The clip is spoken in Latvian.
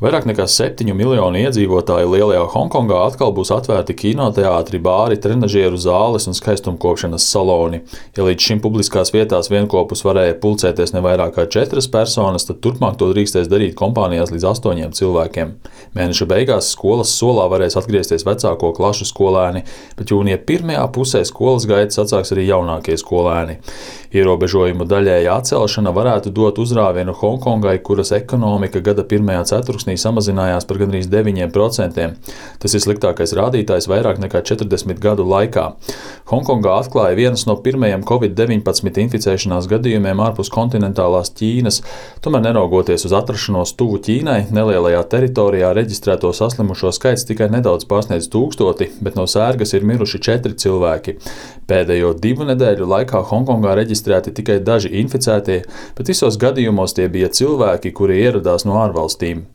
Vairāk nekā 7 miljonu iedzīvotāju lielajā Honkongā atkal būs atvērti kinoteātri, bāri, trenažieru zāles un skaistumkopšanas saloni. Ja līdz šim publiskās vietās vienopus varēja pulcēties ne vairāk kā 4 personas, tad turpmāk to drīkstēs darīt kompānijās līdz 8 cilvēkiem. Mēneša beigās skolas solā varēs atgriezties vecāko klašu skolēni, bet jūnija pirmajā pusē skolas gaitas atsāks arī jaunākie skolēni. Ierobežojumu daļēja atcelšana varētu dot uzrāvienu Hongkongai, kuras ekonomika gada pirmajā ceturksnī samazinājās par gandrīz 9%. Tas ir sliktākais rādītājs vairāk nekā 40 gadu laikā. Hongkongā atklāja vienas no pirmajiem Covid-19 inficēšanās gadījumiem ārpus kontinentālās Ķīnas. Tomēr neraugoties uz atrašanos tuvu Ķīnai, nelielajā teritorijā reģistrēto saslimušo skaits tikai nedaudz pārsniedz 1000, bet no sērgas ir miruši 4 cilvēki. Pēdējo 2 nedēļu laikā Hongkongā reģistrēti tikai daži inficētie, bet visos gadījumos tie bija cilvēki, kuri ieradās no ārvalstīm.